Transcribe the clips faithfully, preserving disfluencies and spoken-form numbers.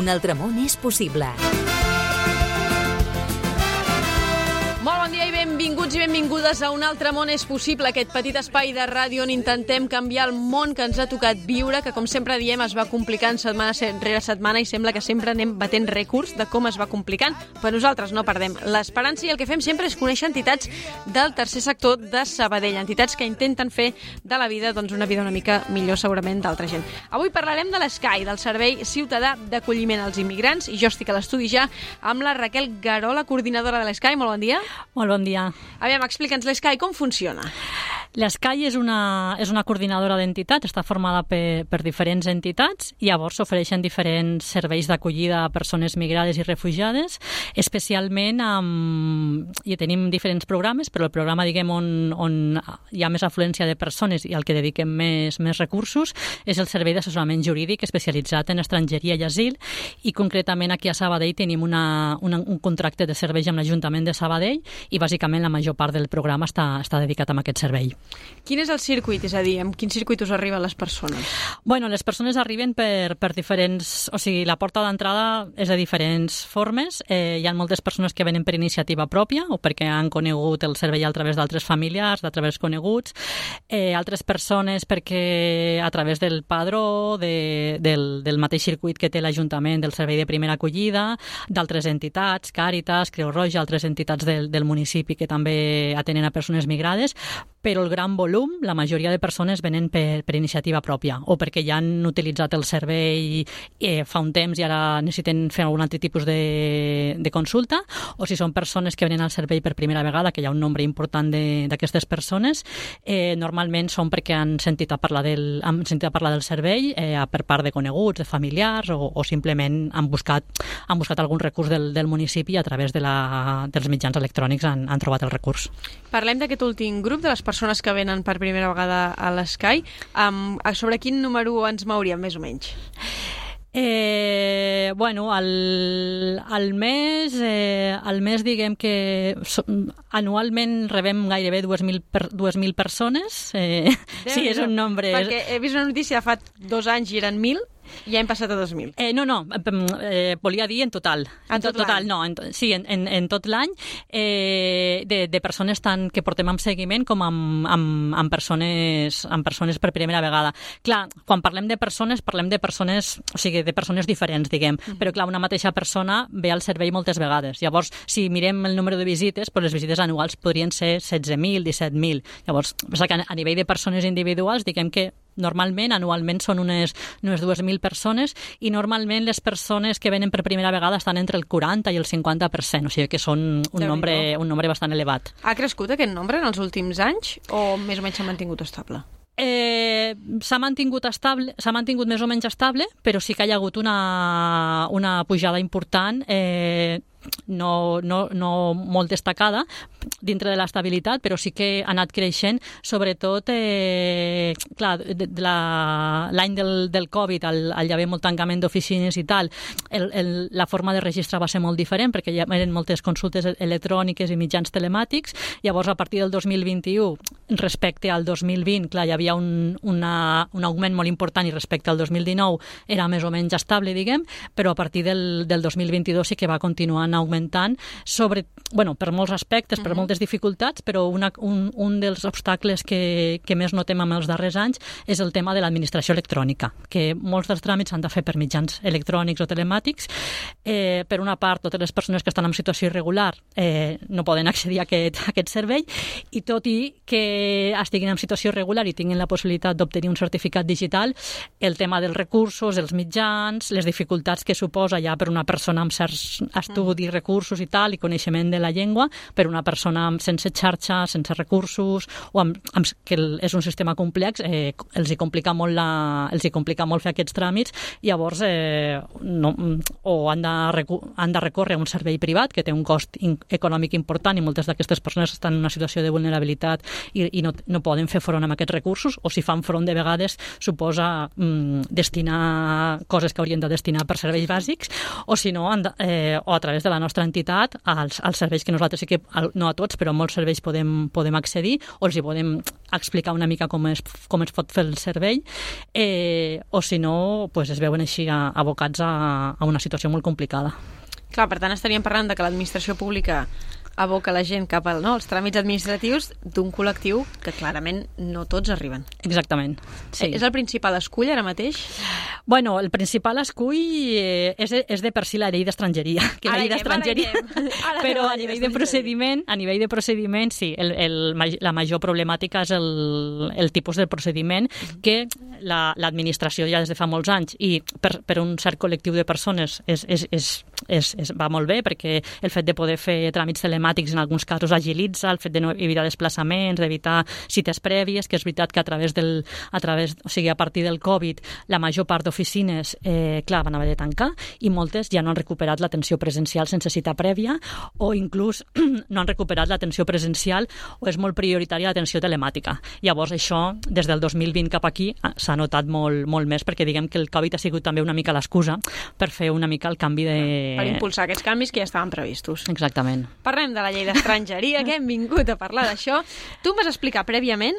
Un altre món és possible. Molt bon dia i benvinguts i benvingudes a Un altre món és possible, aquest petit espai de ràdio on intentem canviar el món que ens ha tocat viure, que com sempre diem es va complicant setmana rere setmana i sembla que sempre anem batent rècords de com es va complicant, però nosaltres no perdem l'esperança i el que fem sempre és conèixer entitats del tercer sector de Sabadell, entitats que intenten fer de la vida doncs, una vida una mica millor segurament d'altra gent. Avui parlarem de l'Escai, del Servei Ciutadà d'Acolliment als Immigrants, i jo estic a l'estudi ja amb la Raquel Garola, coordinadora de l'Escai. Molt bon dia. Molt bon dia. Aviam, explica'ns l'Escai, com funciona? L'Escai és una, és una coordinadora d'entitats, està formada per, per diferents entitats i llavors s'ofereixen diferents serveis d'acollida a persones migrades i refugiades, especialment amb... i tenim diferents programes, però el programa diguem on, on hi ha més afluència de persones i al que dediquem més, més recursos és el servei d'assessorament jurídic especialitzat en estrangeria i asil, i concretament aquí a Sabadell tenim una, una, un contracte de serveis amb l'Ajuntament de Sabadell i bàsicament la major part del programa està, està dedicat a aquest servei. Quin és el circuit? És a dir, amb quin circuit us arriben les persones? Bueno, les persones arriben per, per diferents... O sigui, la porta d'entrada és de diferents formes. Eh, hi ha moltes persones que venen per iniciativa pròpia o perquè han conegut el servei a través d'altres familiars, a través coneguts. Eh, altres persones perquè a través del padró, de, del, del mateix circuit que té l'Ajuntament del Servei de Primera Acollida, d'altres entitats, Càritas, Creu Roja, altres entitats del, del municipi que també atenen a persones migrades, però el gran volum, la majoria de persones venen per, per iniciativa pròpia o perquè ja han utilitzat el servei eh, fa un temps i ara necessiten fer algun altre tipus de, de consulta, o si són persones que venen al servei per primera vegada, que hi ha un nombre important d'aquestes persones, eh, normalment són perquè han sentit a parlar del, han sentit a parlar del servei eh, per part de coneguts, de familiars o, o simplement han buscat, han buscat algun recurs del, del municipi i a través de la, dels mitjans electrònics han, han trobat el recurs. Parlem d'aquest últim grup, de les persones que venen per primera vegada a l'Escai. Um, sobre quin número ens mouríem, més o menys? Eh, bueno, al, al mes, eh, al mes diguem que so, anualment rebem gairebé dues mil persones. Eh, sí, és un nombre... Perquè he vist una notícia fa dos anys i eren mil, i ja hem passat a dos mil. Eh, no, no, eh, volia dir en total. En tot, tot total, no, en, sí, en, en, en tot l'any, eh, de, de persones tant que portem amb seguiment com amb, amb, amb, persones, amb persones per primera vegada. Clar, quan parlem de persones, parlem de persones, o sigui, de persones diferents, diguem, mm-hmm. però clar, una mateixa persona ve al servei moltes vegades. Llavors, si mirem el número de visites, doncs les visites anuals podrien ser setze mil, disset mil. Llavors, a nivell de persones individuals, diguem que normalment, anualment, són unes, unes dues mil persones i normalment les persones que venen per primera vegada estan entre el quaranta i el cinquanta per cent, o sigui que són un, nombre, un nombre bastant elevat. Ha crescut aquest nombre en els últims anys o més o menys s'ha mantingut estable? Eh, s'ha mantingut estable, s'ha mantingut més o menys estable, però sí que hi ha hagut una, una pujada important, eh, no, no, no molt destacada dintre de l'estabilitat, però sí que ha anat creixent, sobretot eh, clar, de, de la, l'any del, del Covid, al, al hi haver molt tancament d'oficines i tal, el, el, la forma de registrar va ser molt diferent perquè hi eren moltes consultes electròniques i mitjans telemàtics. Llavors, a partir del dos mil vint-i-u, respecte al dos mil vint, clar, hi havia un, una, un augment molt important i respecte al dos mil dinou era més o menys estable, diguem, però a partir del, del dos mil vint-i-dos sí que va continuar augmentant sobre, bueno, per molts aspectes, per moltes dificultats, però una, un, un dels obstacles que, que més notem en els darrers anys és el tema de l'administració electrònica, que molts dels tràmits s'han de fer per mitjans electrònics o telemàtics. Eh, per una part, totes les persones que estan en situació irregular eh, no poden accedir a aquest, a aquest servei, i tot i que estiguin en situació irregular i tinguin la possibilitat d'obtenir un certificat digital, el tema dels recursos, els mitjans, les dificultats que suposa ja per una persona amb certs estudis, recursos i tal, i coneixement de la llengua, per una persona sense xarxa, sense recursos, o amb, amb, que és un sistema complex, eh, els hi complica molt la, els hi complica molt fer aquests tràmits, llavors eh, no, o han de, recu han de recórrer a un servei privat que té un cost in econòmic important i moltes d'aquestes persones estan en una situació de vulnerabilitat i, i no, no poden fer front a aquests recursos, o si fan front de vegades suposa mm, destinar coses que haurien de destinar per serveis bàsics, o si no, de, eh, o a través de la nostra entitat als, als serveis que nosaltres sí que, no a tots, tots, però molts serveis podem, podem accedir, o els hi podem explicar una mica com es, com es pot fer el servei, eh, o si no, pues es veuen així abocats a, a una situació molt complicada. Clar, per tant, estaríem parlant de que l'administració pública aboca la gent cap al, no, als tràmits administratius d'un col·lectiu que clarament no tots arriben. Exactament, sí. És el principal escull ara mateix? Bueno, el principal escull eh, és, és de per si la llei d'estrangeria, que la llei d'estrangeria, però a nivell de procediment, a nivell de procediment, sí, el, el, la major problemàtica és el, el tipus de procediment que l'administració ja des de fa molts anys i per, per un cert col·lectiu de persones és, és, és, és, és, va molt bé, perquè el fet de poder fer tràmits telemàtics en alguns casos agilitza, el fet de no evitar desplaçaments, d'evitar cites prèvies, que és veritat que a través del, a través, o sigui, a partir del Covid, la major part d'oficines, eh, clar, van haver de tancar i moltes ja no han recuperat l'atenció presencial sense cita prèvia o inclús no han recuperat l'atenció presencial o és molt prioritària l'atenció telemàtica. Llavors això, des del dos mil vint cap aquí, s'ha notat molt, molt més perquè diguem que el Covid ha sigut també una mica l'excusa per fer una mica el canvi de... Per impulsar aquests canvis que ja estaven previstos. Exactament. Parlem de la llei d'estrangeria, que hem vingut a parlar d'això. Tu em vas explicar prèviament,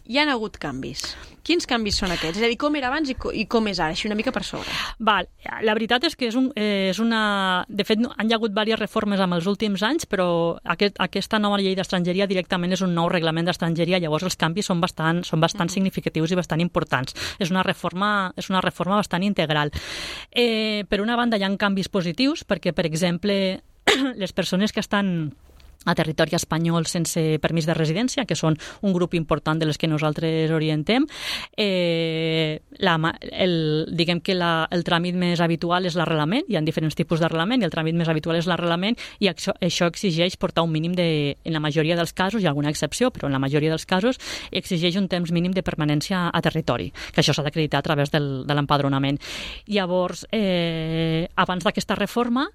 hi han hagut canvis. Quins canvis són aquests? És a dir, com era abans i, co i com és ara? Així una mica per sobre. Val. La veritat és que és, un, eh, és una... De fet, han hi ha hagut diverses reformes en els últims anys, però aquest, aquesta nova llei d'estrangeria directament és un nou reglament d'estrangeria, llavors els canvis són bastant, són bastant mm. significatius i bastant importants. És una reforma, és una reforma bastant integral. Eh, per una banda, hi ha canvis positius, perquè, per exemple, les persones que estan a territori espanyol sense permís de residència, que són un grup important de les que nosaltres orientem. Eh, la, el, diguem que la, el tràmit més habitual és l'arrelament, hi ha diferents tipus d'arrelament, i el tràmit més habitual és l'arrelament, i això, això exigeix portar un mínim de, en la majoria dels casos, hi ha alguna excepció, però en la majoria dels casos exigeix un temps mínim de permanència a territori, que això s'ha d'acreditar a través del, de l'empadronament. Llavors, eh, abans d'aquesta reforma,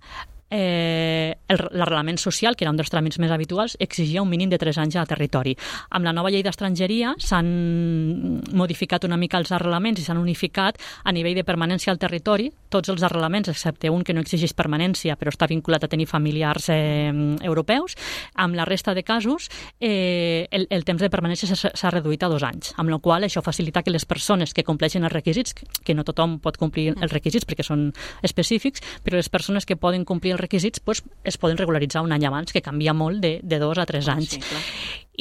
Eh, l'arrelament social, que era un dels tràmits més habituals, exigia un mínim de tres anys a territori. Amb la nova llei d'estrangeria s'han modificat una mica els arrelaments i s'han unificat a nivell de permanència al territori, tots els arrelaments, excepte un que no exigeix permanència però està vinculat a tenir familiars eh, europeus. Amb la resta de casos eh, el, el temps de permanència s'ha reduït a dos anys, amb la qual això facilita que les persones que compleixen els requisits, que no tothom pot complir els requisits perquè són específics, però les persones que poden complir requisits pues, es poden regularitzar un any abans, que canvia molt de, de dos a tres anys. Sí, clar.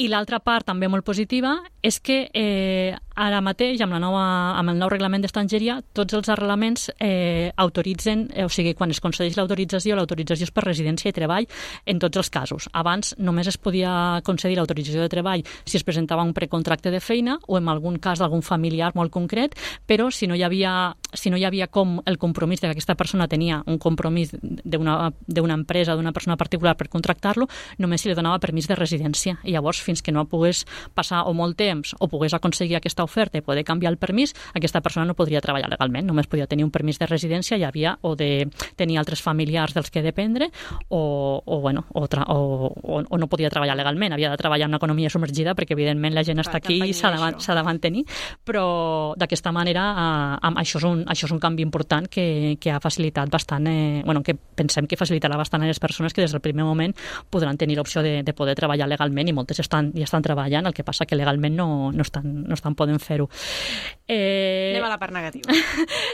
I l'altra part també molt positiva és que eh, ara mateix, amb, la nova, amb el nou reglament d'estrangeria, tots els arrelaments eh, autoritzen, eh, o sigui, quan es concedeix l'autorització, l'autorització és per residència i treball en tots els casos. Abans només es podia concedir l'autorització de treball si es presentava un precontracte de feina o en algun cas d'algun familiar molt concret, però si no hi havia, si no hi havia com el compromís de que aquesta persona tenia un compromís d'una d'una empresa, d'una persona particular per contractar-lo, només se li donava permís de residència. I llavors, fins que no pogués passar o molt temps o pogués aconseguir aquesta oferta i poder canviar el permís, aquesta persona no podria treballar legalment, només podia tenir un permís de residència, hi havia o de tenir altres familiars dels que dependre o, o, bueno, o, tra o, o, o no podia treballar legalment, havia de treballar en una economia submergida perquè evidentment la gent Clar, està aquí i s'ha de, de mantenir, però d'aquesta manera eh, això, és un, això és un canvi important que, que ha facilitat bastant, eh, bueno, que pensem que facilitarà bastant a les persones que des del primer moment podran tenir l'opció de, de poder treballar legalment i moltes estan, ja estan treballant, el que passa que legalment no, no, estan, no estan podent fer-ho. Eh, Anem a la part negativa.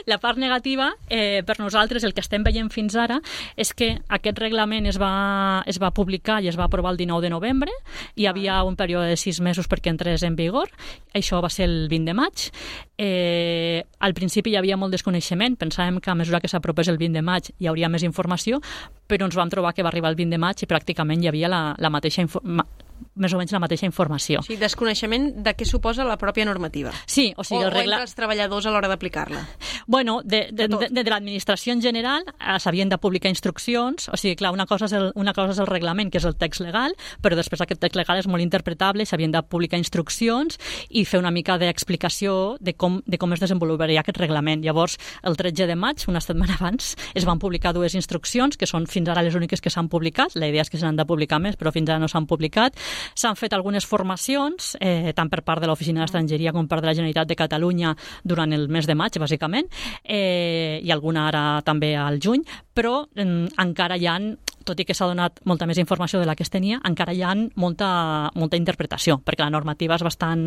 La part negativa, eh, per nosaltres, el que estem veient fins ara és que aquest reglament es va, es va publicar i es va aprovar el dinou de novembre, hi havia un període de sis mesos perquè entrés en vigor, això va ser el vint de maig. Eh, al principi hi havia molt desconeixement, pensàvem que a mesura que s'apropés el vint de maig hi hauria més informació, però ens vam trobar que va arribar el vint de maig i pràcticament hi havia la, la mateixa informació, més o menys la mateixa informació. O sigui, desconeixement de què suposa la pròpia normativa. Sí, o sigui... O, el regla... o entre els treballadors a l'hora d'aplicar-la. Bueno, de, de, de, de, de l'administració en general eh, s'havien de publicar instruccions, o sigui, clar, una cosa, és el, una cosa és el reglament, que és el text legal, però després aquest text legal és molt interpretable, s'havien de publicar instruccions i fer una mica d'explicació de com, de com es desenvoluparia aquest reglament. Llavors, el tretze de maig, una setmana abans, es van publicar dues instruccions, que són fins ara les úniques que s'han publicat, la idea és que se n'han de publicar més, però fins ara no s'han publicat. S'han fet algunes formacions, eh, tant per part de l'Oficina d'Estrangeria com per de la Generalitat de Catalunya durant el mes de maig, bàsicament, eh, i alguna ara també al juny, però eh, encara hi ha, tot i que s'ha donat molta més informació de la que es tenia, encara hi ha molta, molta interpretació, perquè la normativa és bastant,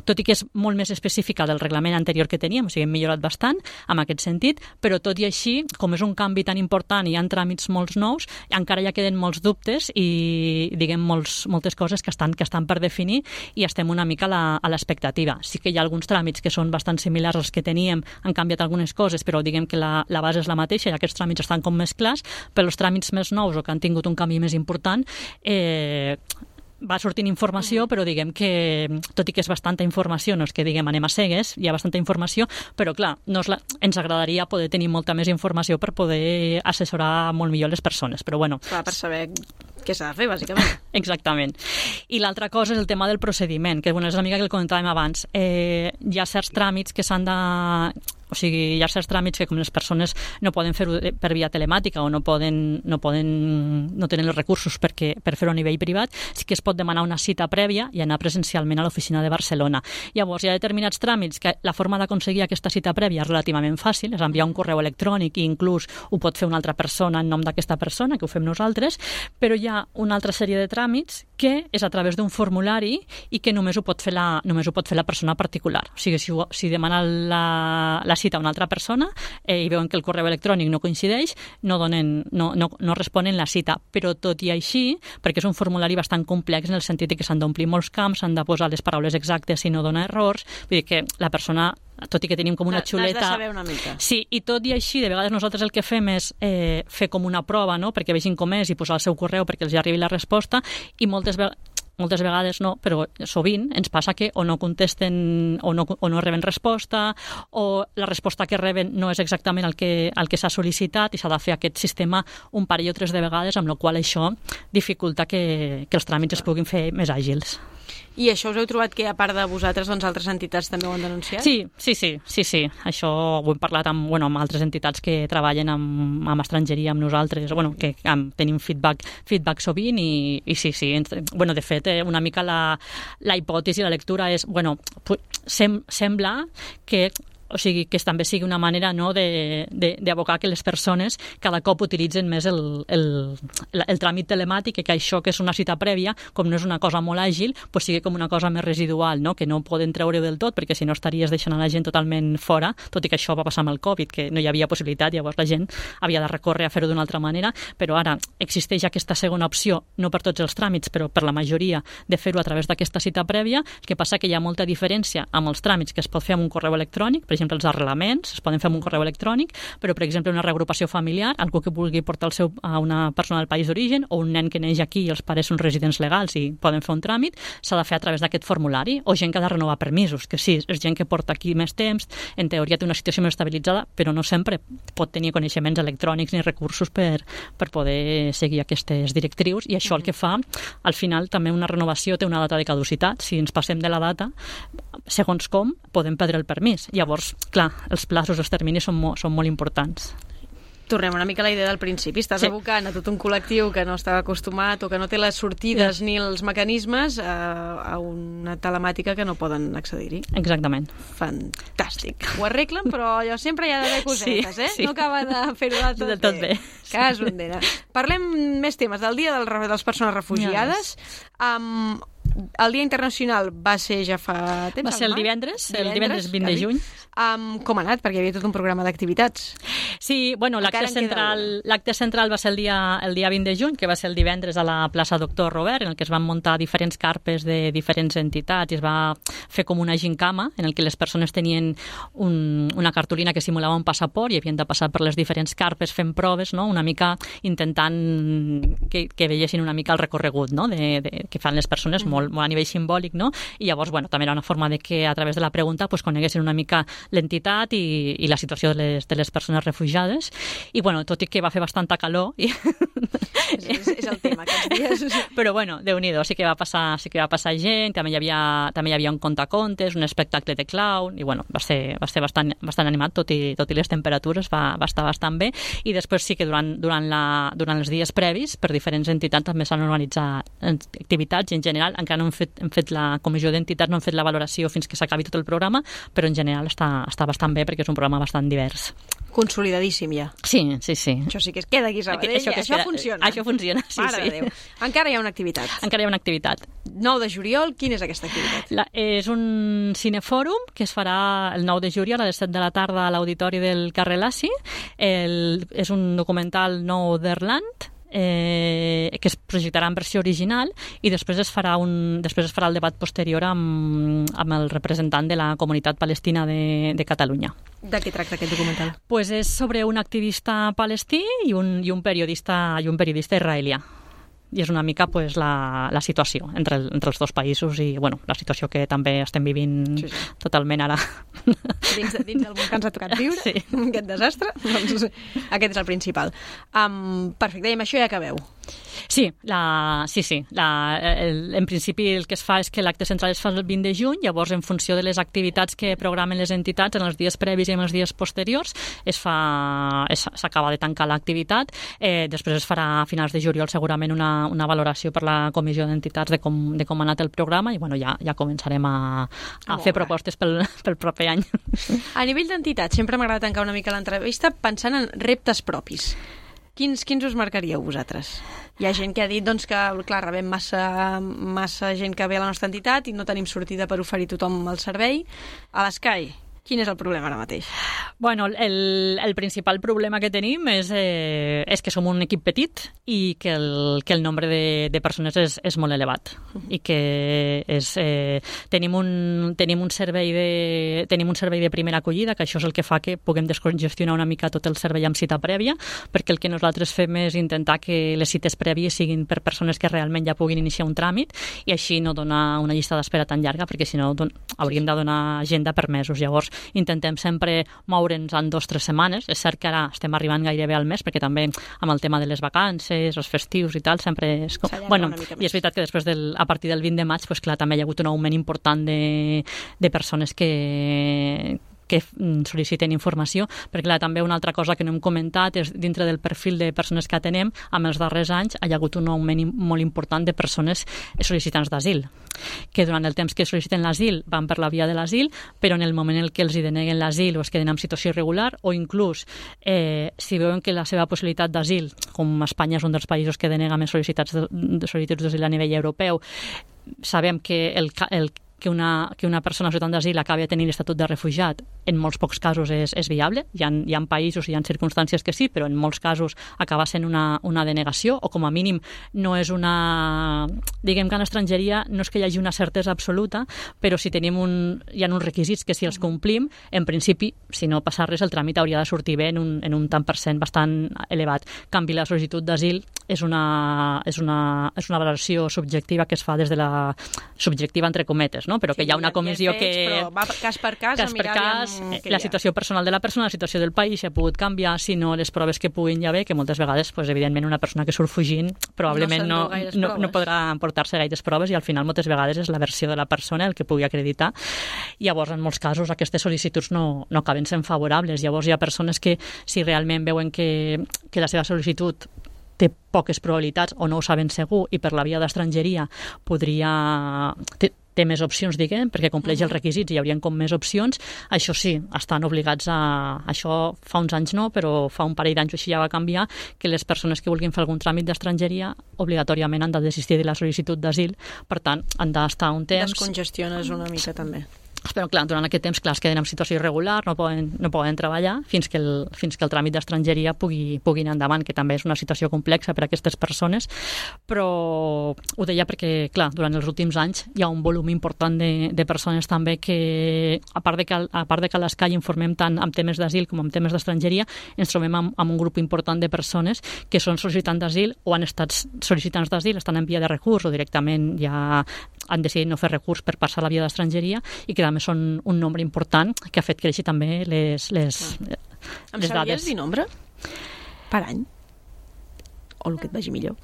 tot i que és molt més específica del reglament anterior que teníem, o sigui, hem millorat bastant en aquest sentit, però tot i així, com és un canvi tan important i hi ha tràmits molts nous, encara ja queden molts dubtes i, diguem, molts, moltes coses que estan, que estan per definir i estem una mica a la, a l'expectativa. Sí que hi ha alguns tràmits que són bastant similars als que teníem, han canviat algunes coses, però diguem que la, la base és la mateixa i aquests tràmits estan com més clars, però els tràmits més nous o que han tingut un canvi més important, eh, va sortint informació, però diguem que, tot i que és bastanta informació, no és que diguem anem a cegues, hi ha bastanta informació, però clar, no és la, ens agradaria poder tenir molta més informació per poder assessorar molt millor les persones, però bueno. Clar, per saber què s'ha de fer, bàsicament. Exactament. I l'altra cosa és el tema del procediment, que bueno, és una mica que el comentàvem abans. Eh, hi ha certs tràmits que s'han de... O sigui, hi ha certs tràmits que com les persones no poden fer-ho per via telemàtica o no poden, no poden, no tenen els recursos perquè, per fer-ho a nivell privat, sí que es pot demanar una cita prèvia i anar presencialment a l'oficina de Barcelona. Llavors, hi ha determinats tràmits que la forma d'aconseguir aquesta cita prèvia és relativament fàcil, és enviar un correu electrònic i inclús ho pot fer una altra persona en nom d'aquesta persona, que ho fem nosaltres, però hi ha una altra sèrie de tràmits que és a través d'un formulari i que només ho pot fer la, només ho pot fer la persona particular. O sigui, si, si demana la, la cita a una altra persona eh, i veuen que el correu electrònic no coincideix, no, donen, no, no, no responen la cita. Però tot i així, perquè és un formulari bastant complex en el sentit que s'han d'omplir molts camps, s'han de posar les paraules exactes si no dona errors, vull dir que la persona, tot i que tenim com una xuleta... N'has de saber una mica. Sí, i tot i així, de vegades nosaltres el que fem és eh, fer com una prova, no?, perquè vegin com és i posar el seu correu perquè els arribi la resposta, i moltes vegades moltes vegades no, però sovint ens passa que o no contesten o no, o no reben resposta o la resposta que reben no és exactament el que, el que s'ha sol·licitat i s'ha de fer aquest sistema un parell o tres de vegades, amb la qual això dificulta que, que els tràmits es puguin fer més àgils. I això us heu trobat que, a part de vosaltres, doncs altres entitats també ho han denunciat? Sí, sí, sí, sí, sí. Això ho hem parlat amb, bueno, amb altres entitats que treballen amb, amb estrangeria, amb nosaltres, bueno, que amb, tenim feedback, feedback sovint i, i sí, sí. Bueno, de fet, eh, una mica la, la hipòtesi, la lectura és, bueno, sem, sembla que o sigui, que també sigui una manera no, d'abocar que les persones cada cop utilitzen més el, el, el, el tràmit telemàtic i que això que és una cita prèvia, com no és una cosa molt àgil, pues sigui com una cosa més residual, no? Que no poden treure del tot perquè si no estaries deixant a la gent totalment fora, tot i que això va passar amb el Covid, que no hi havia possibilitat, llavors la gent havia de recórrer a fer-ho d'una altra manera, però ara existeix aquesta segona opció, no per tots els tràmits, però per la majoria, de fer-ho a través d'aquesta cita prèvia, el que passa que hi ha molta diferència amb els tràmits que es pot fer amb un correu electrònic, per exemple, els arrelaments es poden fer amb un correu electrònic, però, per exemple, una reagrupació familiar, algú que vulgui portar el seu, a una persona del país d'origen o un nen que neix aquí i els pares són residents legals i poden fer un tràmit, s'ha de fer a través d'aquest formulari, o gent que ha de renovar permisos, que sí, és gent que porta aquí més temps, en teoria té una situació més estabilitzada, però no sempre pot tenir coneixements electrònics ni recursos per, per poder seguir aquestes directrius, i això el que fa, al final, també una renovació té una data de caducitat. Si ens passem de la data, segons com, podem perdre el permís. Llavors, clar, els plaços, els terminis són, mo són molt importants. Tornem una mica a la idea del principi. Estàs sí. abocant a tot un col·lectiu que no està acostumat o que no té les sortides sí. ni els mecanismes a, a una telemàtica que no poden accedir-hi. Exactament. Fantàstic. Ho arreglen, però allò sempre hi ha d'haver cosetes, sí, eh? Sí. No acaba de fer-ho del tot, tot bé. Cas ondena. Parlem més temes del Dia del, de les Persones Refugiades. Yes. Um, el Dia Internacional va ser ja fa temps? Va ser el divendres, divendres el divendres vint de juny. Um, com ha anat? Perquè hi havia tot un programa d'activitats. Sí, bueno, l'acte central, l'acte central va ser el dia, el dia vint de juny, que va ser el divendres a la plaça Doctor Robert, en el que es van muntar diferents carpes de diferents entitats i es va fer com una gincama en el que les persones tenien un, una cartolina que simulava un passaport i havien de passar per les diferents carpes fent proves, no? Una mica intentant que, que veiessin una mica el recorregut, no? de, de, que fan les persones, mm. molt, molt a nivell simbòlic, no? I llavors, bueno, també era una forma de que a través de la pregunta pues, coneguessin una mica l'entitat i, i la situació de les, de les persones refugiades. I, bueno, tot i que va fer bastanta calor... I... és, és, és el tema, aquests dies. Però, bueno, Déu-n'hi-do, sí que va passar, sí que va passar gent, també hi havia, també hi havia un contacontes, un espectacle de clown, i, bueno, va ser, va ser bastant, bastant animat, tot i, tot i les temperatures, va, va estar bastant bé. I després sí que durant, durant, la, durant els dies previs, per diferents entitats també s'han organitzat activitats, i en general, encara no hem fet, hem fet la comissió d'entitats, no hem fet la valoració fins que s'acabi tot el programa, però en general està està, està bastant bé perquè és un programa bastant divers. Consolidadíssim ja. Sí, sí, sí. Això sí que es queda aquí a Sabadell, això, això queda, funciona. Això funciona, sí, Mare sí. de Déu. Encara hi ha una activitat. Encara hi ha una activitat. nou de juliol, quina és aquesta activitat? La, és un cinefòrum que es farà el nou de juliol a les set de la tarda a l'auditori del carrer Lassi. El, és un documental nou d'Erland, Eh, que es projectarà en versió original i després es farà, un, després es farà el debat posterior amb, amb el representant de la comunitat palestina de, de Catalunya. De què tracta aquest documental? Pues és sobre un activista palestí i un, i un periodista i un periodista israelià. I és una mica pues, la, la situació entre, el, entre els dos països i bueno, la situació que també estem vivint sí, sí. totalment ara. Dins, dins del món que ens ha tocat viure, sí. Aquest desastre, doncs aquest és el principal. Um, perfecte, i amb això ja acabeu. Sí, la, sí, sí. La, el, en principi el que es fa és que l'acte central es fa el vint de juny, llavors en funció de les activitats que programen les entitats en els dies previs i en els dies posteriors es fa, s'acaba de tancar l'activitat. Eh, després es farà a finals de juliol segurament una, una valoració per la comissió d'entitats de com, de com ha anat el programa i bueno, ja, ja començarem a, a oh, fer propostes pel, pel proper any. A nivell d'entitats, sempre m'agrada tancar una mica l'entrevista pensant en reptes propis. Quins, quins us marcaríeu vosaltres? Hi ha gent que ha dit doncs, que clar, rebem massa, massa gent que ve a la nostra entitat i no tenim sortida per oferir tothom el servei. A l'Sky, quin és el problema ara mateix? Bueno, el, el principal problema que tenim és, eh, és que som un equip petit i que el, que el nombre de, de persones és, és molt elevat i que és, eh, tenim, un, tenim, un servei de, tenim un servei de primera acollida, que això és el que fa que puguem descongestionar una mica tot el servei amb cita prèvia, perquè el que nosaltres fem és intentar que les cites prèvies siguin per persones que realment ja puguin iniciar un tràmit i així no donar una llista d'espera tan llarga, perquè si no don, hauríem de donar agenda per mesos. Llavors, intentem sempre moure'ns en dos o tres setmanes. És cert que ara estem arribant gairebé al mes, perquè també amb el tema de les vacances, els festius i tal, sempre és... Bueno, i és veritat que després, del, a partir del vint de maig, pues, clar, també hi ha hagut un augment important de, de persones que que sol·liciten informació, perquè clar, també una altra cosa que no hem comentat és dintre del perfil de persones que atenem, amb els darrers anys hi ha hagut un augment molt important de persones sol·licitants d'asil, que durant el temps que sol·liciten l'asil van per la via de l'asil, però en el moment en què els hi deneguen l'asil o es queden en situació irregular, o inclús eh, si veuen que la seva possibilitat d'asil, com Espanya és un dels països que denega més sol·licitats de, de sol·licituds d'asil a nivell europeu, sabem que el, el que una, que una persona solicitant d'asil acabi a tenir l'estatut de refugiat, en molts pocs casos és, és viable. Hi ha, hi ha països i hi ha circumstàncies que sí, però en molts casos acaba sent una, una denegació, o com a mínim no és una... Diguem que en estrangeria no és que hi hagi una certesa absoluta, però si tenim un... hi ha uns requisits que si els complim, en principi, si no passa res, el tràmit hauria de sortir bé en un, en un tant per cent bastant elevat. En canvi, la sol·licitud d'asil és una, és, una, és una valoració subjectiva que es fa des de la... subjectiva entre cometes, no? Però sí, que hi ha una comissió fets, que... Però va cas per cas, cas per cas la situació personal de la persona, la situació del país, si ha pogut canviar, si no, les proves que puguin ja bé, que moltes vegades, pues, evidentment, una persona que surt fugint probablement no, no, no, no podrà emportar-se gaires proves i al final moltes vegades és la versió de la persona el que pugui acreditar. Llavors, en molts casos, aquestes sol·licituds no, no acaben sent favorables. Llavors, hi ha persones que, si realment veuen que, que la seva sol·licitud té poques probabilitats o no ho saben segur i per la via d'estrangeria podria... Té, té més opcions, diguem, perquè compleix els requisits i hi haurien com més opcions. Això sí, estan obligats a... Això fa uns anys no, però fa un parell d'anys així ja va canviar, que les persones que vulguin fer algun tràmit d'estrangeria obligatòriament han de desistir de la sol·licitud d'asil. Per tant, han d'estar un temps... Descongestiones una mica també. Però clar, durant aquest temps clar, es queden en situació irregular, no poden, no poden treballar fins que el, fins que el tràmit d'estrangeria pugui, pugui anar endavant, que també és una situació complexa per a aquestes persones, però ho deia perquè, clar, durant els últims anys hi ha un volum important de, de persones també que, a part de que, a part de que a l'Sky informem tant amb temes d'asil com amb temes d'estrangeria, ens trobem amb, amb un grup important de persones que són sol·licitants d'asil o han estat sol·licitants d'asil, estan en via de recurs o directament ja han decidit no fer recurs per passar a la via d'estrangeria i que també són un nombre important que ha fet créixer també les, les, les em dades. Em sabries dir nombre? Per any? O el que et vagi millor?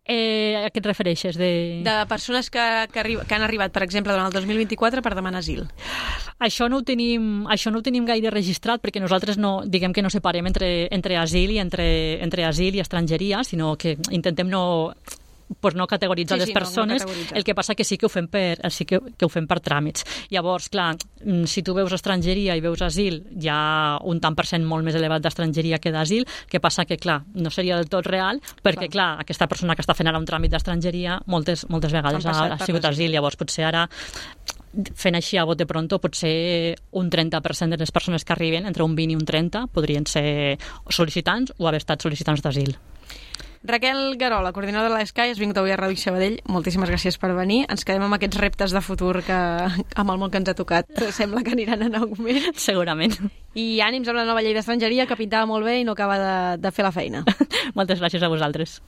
Eh, a què et refereixes? De, de persones que, que, arri... que han arribat, per exemple, durant el dos mil vint-i-quatre per demanar asil. Això no ho tenim, això no ho tenim gaire registrat perquè nosaltres no, diguem que no separem entre, entre asil i entre, entre asil i estrangeria, sinó que intentem no... pues no categoritzar Sí, les sí, no, no persones, categoritzar. el que passa que sí que ho fem per, sí que, que ho fem per tràmits. Llavors, clar, mm, si tu veus estrangeria i veus asil, hi ha un tant per cent molt més elevat d'estrangeria que d'asil, que passa que, clar, no seria del tot real, perquè, clar, clar aquesta persona que està fent ara un tràmit d'estrangeria moltes, moltes vegades ha, ha sigut asil, llavors potser ara fent així a bote pronto, potser un trenta per cent de les persones que arriben, entre un vint i un trenta, podrien ser sol·licitants o haver estat sol·licitants d'asil. Raquel Guerola, coordinadora de l'E S C A I, has vingut avui a Ràdio Sabadell. Moltíssimes gràcies per venir. Ens quedem amb aquests reptes de futur que amb el món que ens ha tocat sembla que aniran en augment. Segurament. I ànims amb la nova llei d'estrangeria, que pintava molt bé i no acaba de, de fer la feina. Moltes gràcies a vosaltres.